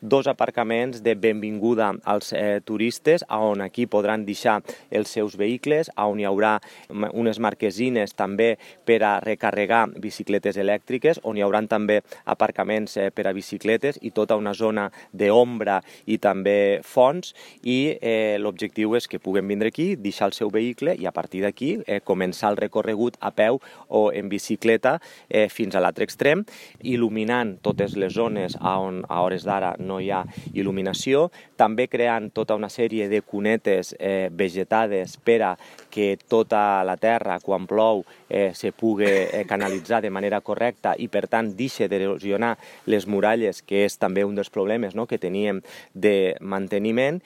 2 aparcaments de benvinguda als turistes, on aquí podran deixar els seus vehicles, on hi haurà unes marquesines també per a recarregar bicicletes elèctriques, on hi haurà també aparcaments per a bicicletes i tota una zona d'ombra i també fonts, i l'objectiu és que puguen vindre aquí, deixar el seu vehicle i a partir d'aquí començar el recorregut a peu o en bicicleta fins a l'altre extrem, il·luminant totes les zones on a hores d'ara no hi ha il·luminació, també creant tota una sèrie de cunetes vegetades per a que tota la terra, quan plou, se pugui canalitzar de manera correcta i, per tant, deixi d'erosionar les muralles, que és també un dels problemes que teníem de manteniment,